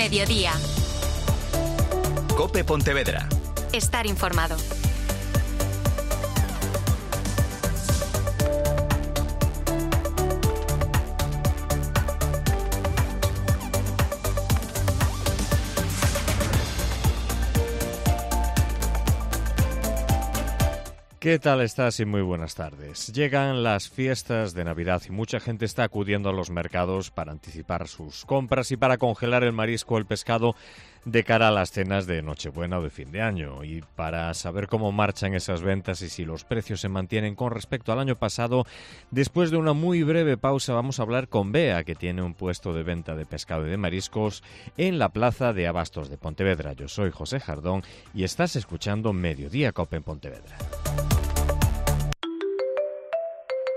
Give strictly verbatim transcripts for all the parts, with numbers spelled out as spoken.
Mediodía. COPE Pontevedra. Estar informado. ¿Qué tal estás? Y muy buenas tardes. Llegan las fiestas de Navidad y mucha gente está acudiendo a los mercados para anticipar sus compras y para congelar el marisco o el pescado de cara a las cenas de Nochebuena o de fin de año. Y para saber cómo marchan esas ventas y si los precios se mantienen con respecto al año pasado, después de una muy breve pausa vamos a hablar con Bea, que tiene un puesto de venta de pescado y de mariscos en la plaza de Abastos de Pontevedra. Yo soy José Jardón y estás escuchando Mediodía COPE en Pontevedra.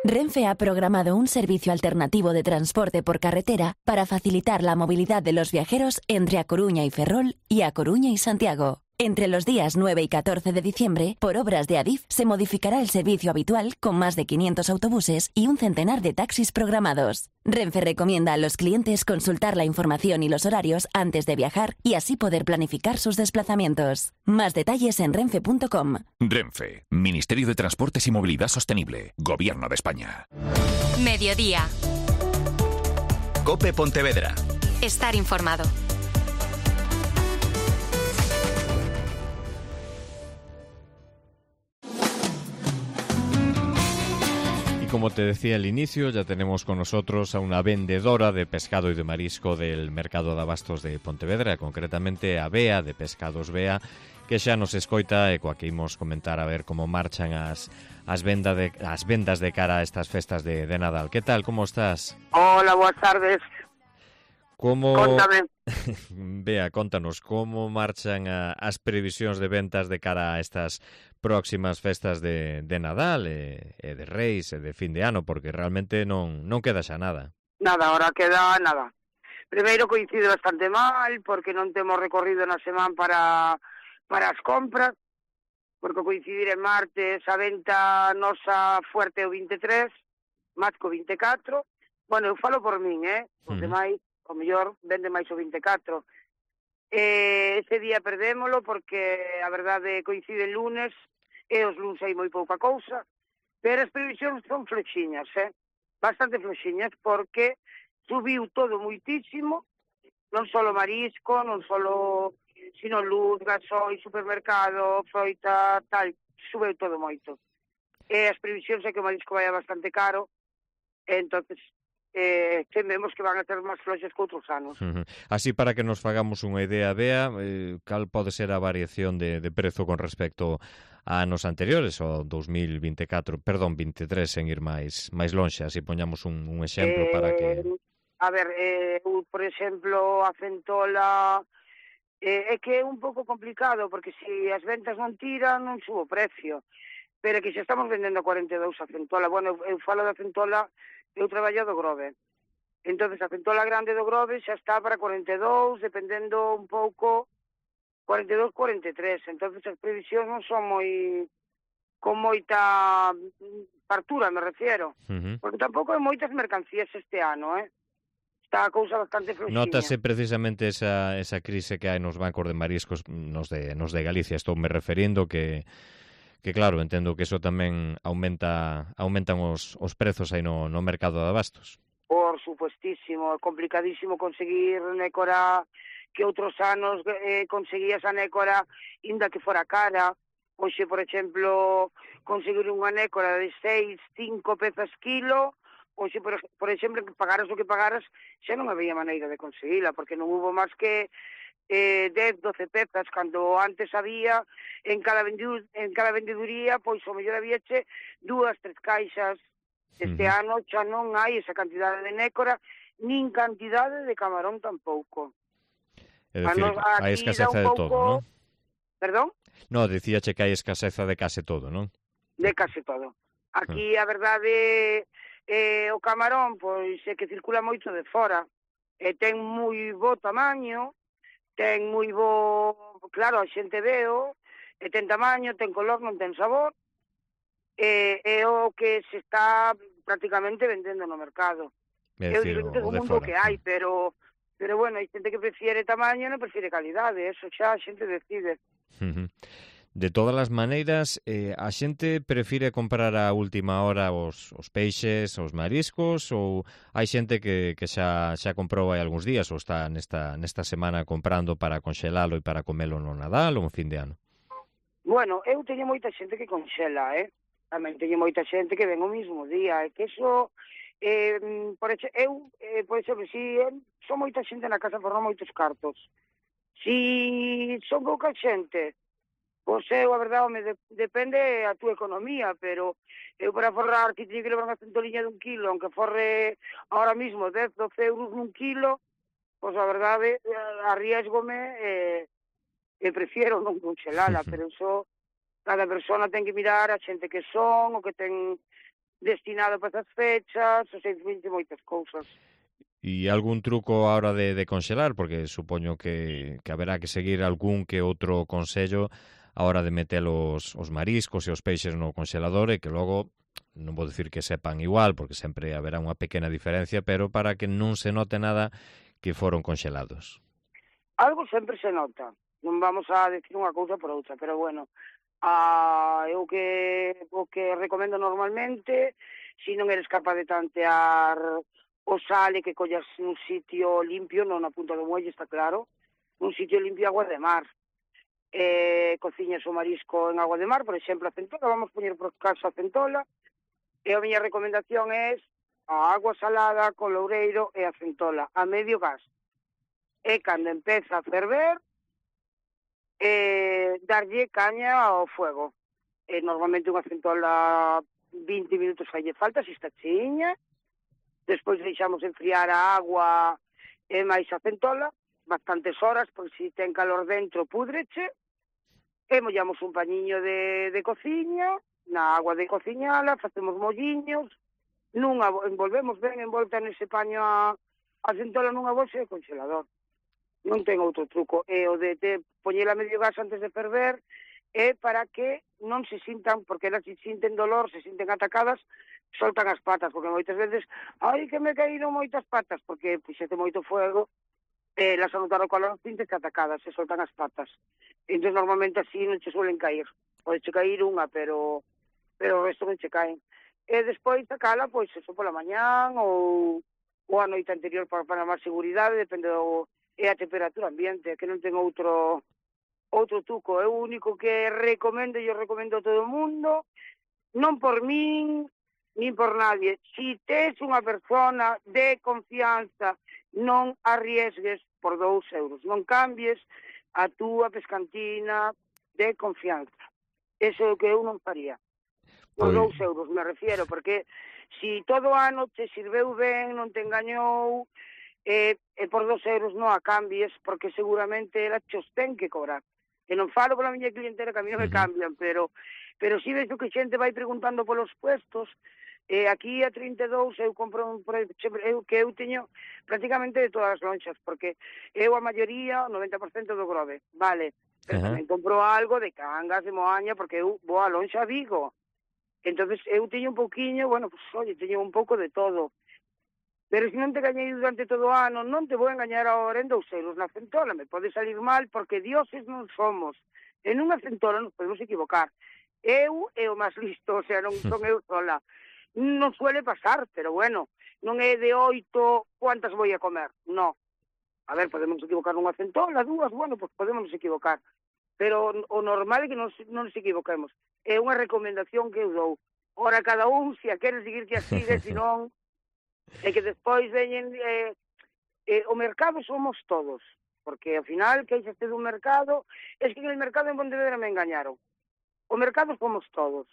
Renfe ha programado un servicio alternativo de transporte por carretera para facilitar la movilidad de los viajeros entre A Coruña y Ferrol y A Coruña y Santiago. Entre los días nueve y catorce de diciembre, por obras de Adif, se modificará el servicio habitual con más de quinientos autobuses y un centenar de taxis programados. Renfe recomienda a los clientes consultar la información y los horarios antes de viajar y así poder planificar sus desplazamientos. Más detalles en renfe punto com. Renfe, Ministerio de Transportes y Movilidad Sostenible, Gobierno de España. Mediodía. COPE Pontevedra. Estar informado. Como te decía al inicio, ya tenemos con nosotros a una vendedora de pescado y de marisco del Mercado de Abastos de Pontevedra, concretamente a Bea, de Pescados Bea, que xa nos escoita e coa que imos comentar a ver como marchan as, as, venda de, as vendas de cara a estas festas de, de Nadal. Que tal, como estás? Hola, boas tardes. Como... Contame. Bea, contanos, como marchan a, as previsións de ventas de cara a estas próximas festas de, de Nadal e, e de Reis e de fin de ano, porque realmente non, non queda xa nada. Nada, ahora queda nada. Primeiro coincide bastante mal, porque non temos recorrido na semana para, para as compras, porque coincidir en martes a venta nosa fuerte o vinte e tres, máis co vinte e catro. Bueno, eu falo por min, eh? Os uh-huh. demais, o mellor, vende máis o vinte e catro. Eh, ese día perdémolo porque a verdade coincide el lunes e os lunes hai moi pouca cousa, pero as previsións son flexiñas, eh? Bastante flexiñas, porque subiu todo moitísimo, non só marisco, non só, sino luz, gasoi, supermercado, froita, tal, subeu todo moito. E as previsións é que o marisco vai bastante caro, e entonces eh, tememos que van a ter máis floxes que outros anos. Uh-huh. Así, para que nos fagamos unha idea, Bea, eh, cal pode ser a variación de, de prezo con respecto a anos anteriores, o dous mil vinte e catro, perdón, vinte e tres, en ir máis máis lonxe, así poñamos un, un exemplo eh, para que... A ver, eh, por exemplo, a centola eh, é que é un pouco complicado, porque se as ventas non tiran, non subo o precio, pero que xa estamos vendendo a cuarenta e dous a centola. Bueno, eu, eu falo da centola, eu traballo do Grove, entonces a centola grande do Grove xa está para cuarenta e dous, dependendo un pouco, cuarenta e dous, cuarenta e tres, entonces as previsións non son moi con moita partura, me refiero, uh-huh. porque tampouco hai moitas mercancías este ano, eh? Está a cousa bastante flexiña. Notase precisamente esa, esa crise que hai nos bancos de mariscos, nos de, nos de Galicia, estou me referindo que que claro, entendo que eso tamén aumenta aumentan os, os prezos aí no, no mercado de abastos. Por supuestísimo, é complicadísimo conseguir nécora que outros anos eh, conseguías a nécora inda que fora cara. Hoxe, por exemplo, conseguir unha nécora de seis, cinco pezas kilo, hoxe, por, por exemplo, que pagaras o que pagaras, xa non había maneira de conseguila, porque non hubo máis que eh, dez, doce pezas, cando antes había en cada, vendu, en cada vendeduría, pois o mellor habíache dúas, tres caixas. Este uh-huh. ano xa non hai esa cantidade de nécora, nin cantidade de camarón tampouco. É dicir, hai escaseza de todo, non? Perdón? No, dicíache que hai escaseza de case todo, non? De case todo. Aquí a verdade eh, o camarón pois é que circula moito de fora, e ten moi bo tamaño, ten moi bo, claro, a xente veo, e ten tamaño, ten color, non ten sabor, e é o que se está prácticamente vendendo no mercado. É o diferente do mundo que hai, pero Pero bueno, hai xente que prefiere tamaño e non prefiere calidade, eso xa a xente decide. Uh-huh. De todas as maneiras, eh, a xente prefire comprar a última hora os, os peixes, os mariscos, ou hai xente que, que xa, xa comprou hai algúns días ou está nesta, nesta semana comprando para conxelalo e para comelo no Nadal ou en fin de ano? Bueno, eu teño moita xente que conxela, eh? Tamén teño moita xente que ven o mismo día, e que eso, eh, por exe, eu, eh, por exemplo, si eh, son moita xente na casa por non moitos cartos, si son pouca xente, pois eu, a verdade, me de, depende a túa economía, pero eu para forrar que teño que levar unha centoliña dun kilo, aunque forre ahora mismo dez, doce euros nun kilo, pois a verdade, arriesgome e, e prefiero non conxelala, pero iso, cada persona ten que mirar a xente que son, o que ten destinado para esas fechas, ou sei, moitas cousas. E algún truco a hora de, de conxelar? Porque supoño que, que haberá que seguir algún que outro consello a hora de meter os, os mariscos e os peixes no conxelador e que logo, non vou dicir que sepan igual, porque sempre haberá unha pequena diferencia, pero para que non se note nada que foron conxelados. Algo sempre se nota, non vamos a decir unha cousa por outra, pero bueno, a, eu que, o que recomendo normalmente, se non eres capaz de tantear o sale que collas nun sitio limpio, non na punta do muelle, está claro, un sitio limpio, agua de mar. Eh, cociñas o marisco en agua de mar, por exemplo, a centola, vamos poñer por caso a centola, e a miña recomendación é a agua salada con loureiro e a centola a medio gas. E cando empeza a ferver, eh, darlle caña ao fuego. E normalmente unha centola vinte minutos falle falta, se está chiña, despois deixamos enfriar a agua e máis a centola, bastantes horas, porque se ten calor dentro púdreche, e mollamos un pañiño de, de cociña, na agua de cociñala, facemos molliños, nunha, envolvemos ben envolta nese paño a, a centola nunha bolsa de congelador. Non ten outro truco. E o de te, poñela medio gas antes de ferver é para que non se sintan, porque elas se sinten dolor, se sinten atacadas, soltan as patas, porque moitas veces, ai, que me caíron moitas patas, porque puxete moito fuego, eh, las anotaron calor, sintes que atacadas, se soltan as patas. Entón, normalmente así non che suelen cair. Pode che cair unha, pero pero o resto non che caen. E despois sacala, pois, eso pola mañán ou, ou a noite anterior para, para máis seguridade, depende do... e a temperatura ambiente, que non ten outro outro truco. É o único que recomendo, e eu recomendo a todo o mundo, non por min, nin por nadie. Si tes unha persona de confianza, non arriesgues por dous euros. Non cambies a túa pescantina de confianza. Eso é o que eu non faría. Por dous euros, me refiero, porque si todo ano te sirveu ben, non te engañou, e, e por dous euros non a cambies, porque seguramente ela te os ten que cobrar. E non falo pola miña clientela, que a mí non me cambian, pero pero si ves que xente vai preguntando polos puestos, e aquí a trinta e dous eu compro un eu, que eu teño prácticamente de todas as lonxas, porque eu a maioría, o noventa por cento do Grove, vale, pero uh-huh. tamén compro algo de Cangas, de Moaña, porque eu vou a lonxa a Vigo. Entonces eu teño un pouquiño, bueno, pues, oye, teño un pouco de todo. Pero se non te gañei durante todo o ano, non te vou engañar agora en dous euros na centola, me pode salir mal, porque dioses non somos. En unha centola nos podemos equivocar. Eu é o máis listo, o sea, non son eu sola. Non suele pasar, pero bueno, non é de oito cuántas vou a comer, no. A ver, podemos equivocar nunha centola, dúas, bueno, pues podemos equivocar. Pero o normal é que non, non nos equivoquemos. É unha recomendación que eu dou. Ora, cada un, se a quere seguir que a sigue, se non... É que despois veñen... Eh, eh, o mercado somos todos, porque ao final, que hai dun mercado, es que en el mercado en Pontevedra me engañaron. O mercado somos todos.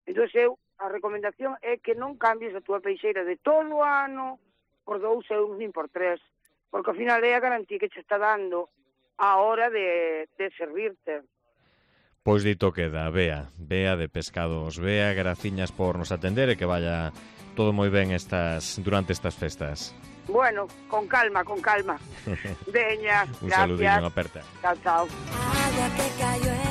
Entón, eu, a recomendación é que non cambies a túa peixeira de todo o ano por dous euros nin por tres, porque ao final é a garantía que che está dando a hora de, de servirte. Pois dito queda, Bea, Bea de Pescados Bea, graciñas por nos atender e que vaya todo moi ben estas durante estas festas. Bueno, con calma, con calma. Veña, un gracias. saludinho, aperta. Chao, chao. Agua que cayó en